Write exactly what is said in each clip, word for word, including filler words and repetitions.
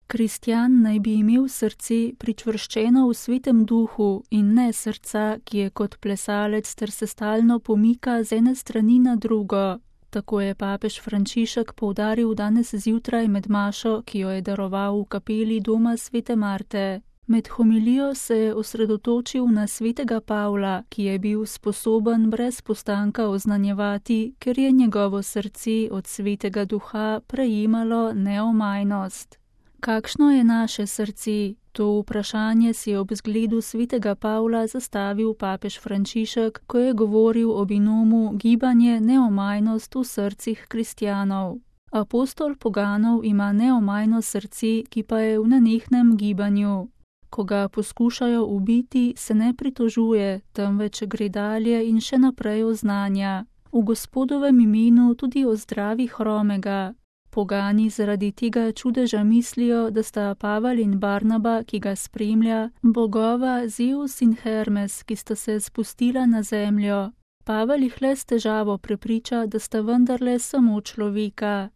Kristjan naj bi imel srce pričvrščeno v Svetem Duhu in ne srca, ki je kot plesalec ter se stalno pomika z ene strani na drugo. Tako je papež Frančišek poudaril danes zjutraj med mašo, ki jo je daroval v kapeli doma Svete Marte. Med homilijo se je osredotočil na svetega Pavla, ki je bil sposoben brez postanka oznanjevati, ker je njegovo srce od Svetega Duha prejemalo neomajnost. Kakšno je naše srce? To vprašanje si je ob zgledu svetega Pavla zastavil papež Frančišek, ko je govoril o binomu gibanje neomajnost v srcih kristjanov. Apostol poganov ima neomajno srce, ki pa je v nenehnem gibanju. Ko ga poskušajo ubiti, se ne pritožuje, temveč gre dalje in še naprej oznanja. V Gospodovem imenu tudi ozdravi hromega. Pogani zaradi tega čudeža mislijo, da sta Pavel in Barnaba, ki ga spremlja, bogova Zeus in Hermes, ki sta se spustila na zemljo. Pavel jih le s težavo prepriča, da sta vendarle samo človeka.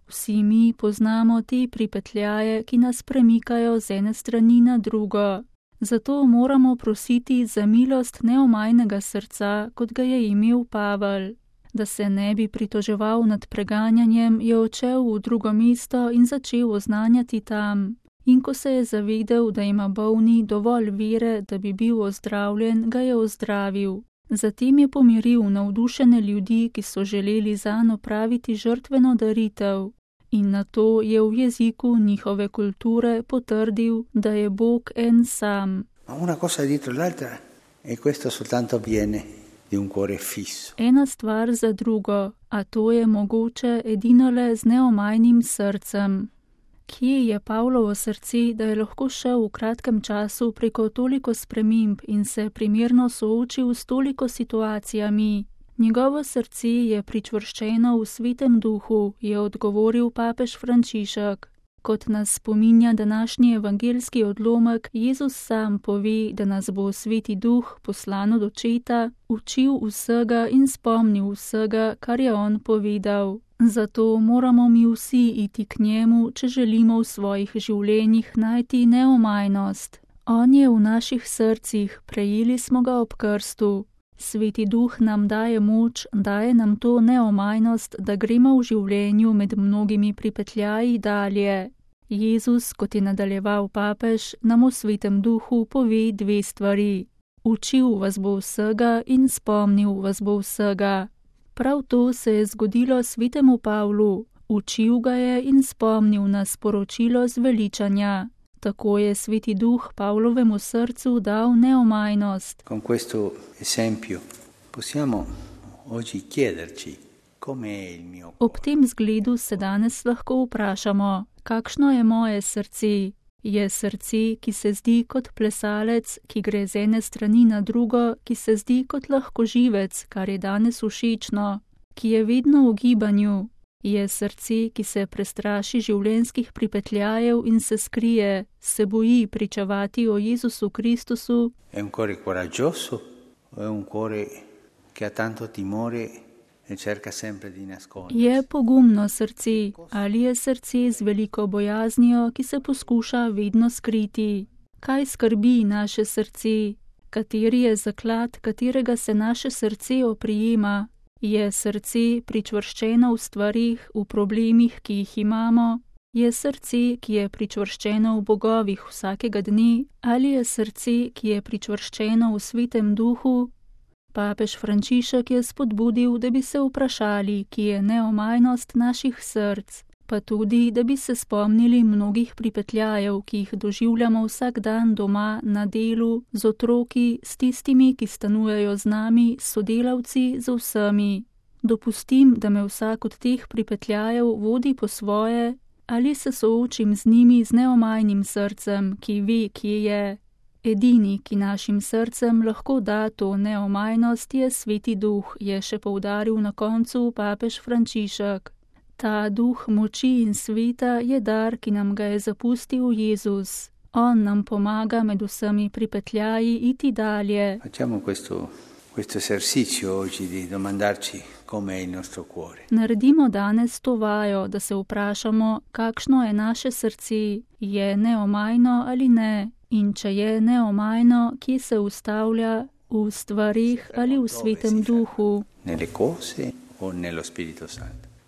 Vsi mi poznamo te pripetljaje, ki nas premikajo z ene strani na drugo. Zato moramo prositi za milost neomajnega srca, kot ga je imel Pavel. Da se ne bi pritoževal nad preganjanjem, je odšel v drugo mesto in začel oznanjati tam. In ko se je zavedel, da ima bolni dovolj vere, da bi bil ozdravljen, ga je ozdravil. Zatem je pomiril navdušene ljudi, ki so želeli zanj opraviti žrtveno daritev. In nato je v jeziku njihove kulture potrdil, da je Bog en sam. Una cosa dietro l'altra e questo soltanto avviene di un cuore fisso. Ena stvar za drugo, a to je mogoče edinole z neomajnim srcem. Kje je Pavlovo srce, da je lahko šel v kratkem času preko toliko sprememb in se primerno soočil s toliko situacijami? Njegovo srce je pričvrščeno v Svetem Duhu, je odgovoril papež Frančišek. Kot nas spominja današnji evangeljski odlomek, Jezus sam pove, da nas bo Sveti Duh, poslan od Očeta, učil vsega in spomnil vsega, kar je on povedal. Zato moramo mi vsi iti k njemu, če želimo v svojih življenjih najti neomajnost. On je v naših srcih, prejeli smo ga ob krstu. Sveti Duh nam daje moč, daje nam to neomajnost, da gremo v življenju med mnogimi pripetljaji dalje. Jezus, kot je nadaljeval papež, nam v Svetem Duhu pove dve stvari. Učil vas bo vsega in spomnil vas bo vsega. Prav to se je zgodilo Svetemu Pavlu. Učil ga je in spomnil nas sporočilo zveličanja. Tako je Sveti Duh Pavlovemu srcu dal neomajnost. Con questo esempio possiamo oggi chiederci come è il mio. Ob tem zgledu se danes lahko vprašamo, kakšno je moje srce? Je srce, ki se zdi kot plesalec, ki gre z ene strani na drugo, ki se zdi kot lahkoživec, kar je danes všečno, ki je vedno v gibanju. Je srce, ki se prestraši življenjskih pripetljajev in se skrije, se boji pričevati o Jezusu Kristusu. È un cuore coraggioso, è un cuore che ha tanto timore e cerca sempre di nascondere. Je pogumno srce ali je srce z veliko bojaznijo, ki se poskuša vedno skriti? Kaj skrbi naše srce? Kateri je zaklad, katerega se naše srce oprijema? Je srce pričvrščeno v stvarih, v problemih, ki jih imamo? Je srce, ki je pričvrščeno v bogovih vsakega dne? Ali je srce, ki je pričvrščeno v Svetem Duhu? Papež Frančišek je spodbudil, da bi se vprašali, ki je neomajnost naših src, pa tudi, da bi se spomnili mnogih pripetljajev, ki jih doživljamo vsak dan doma, na delu, z otroki, s tistimi, ki stanujejo z nami, s sodelavci, z vsemi. Dopustim, da me vsak od teh pripetljajev vodi po svoje, ali se soočim z njimi z neomajnim srcem, ki ve, kje je. Edini, ki našim srcem lahko da to neomajnost, je Sveti Duh, je še poudaril na koncu papež Frančišek. Ta duh moči in sveta je dar, ki nam ga je zapustil Jezus. On nam pomaga med vsemi pripetljaji iti dalje. Facciamo questo, questo esercizio oggi di domandarci come è il nostro cuore. Naredimo danes to vajo, da se vprašamo, kakšno je naše srce, je neomajno ali ne, in če je neomajno, kje se ustavlja, v stvarih ali v Svetem Duhu. Nelle cose o nello Spirito Santo.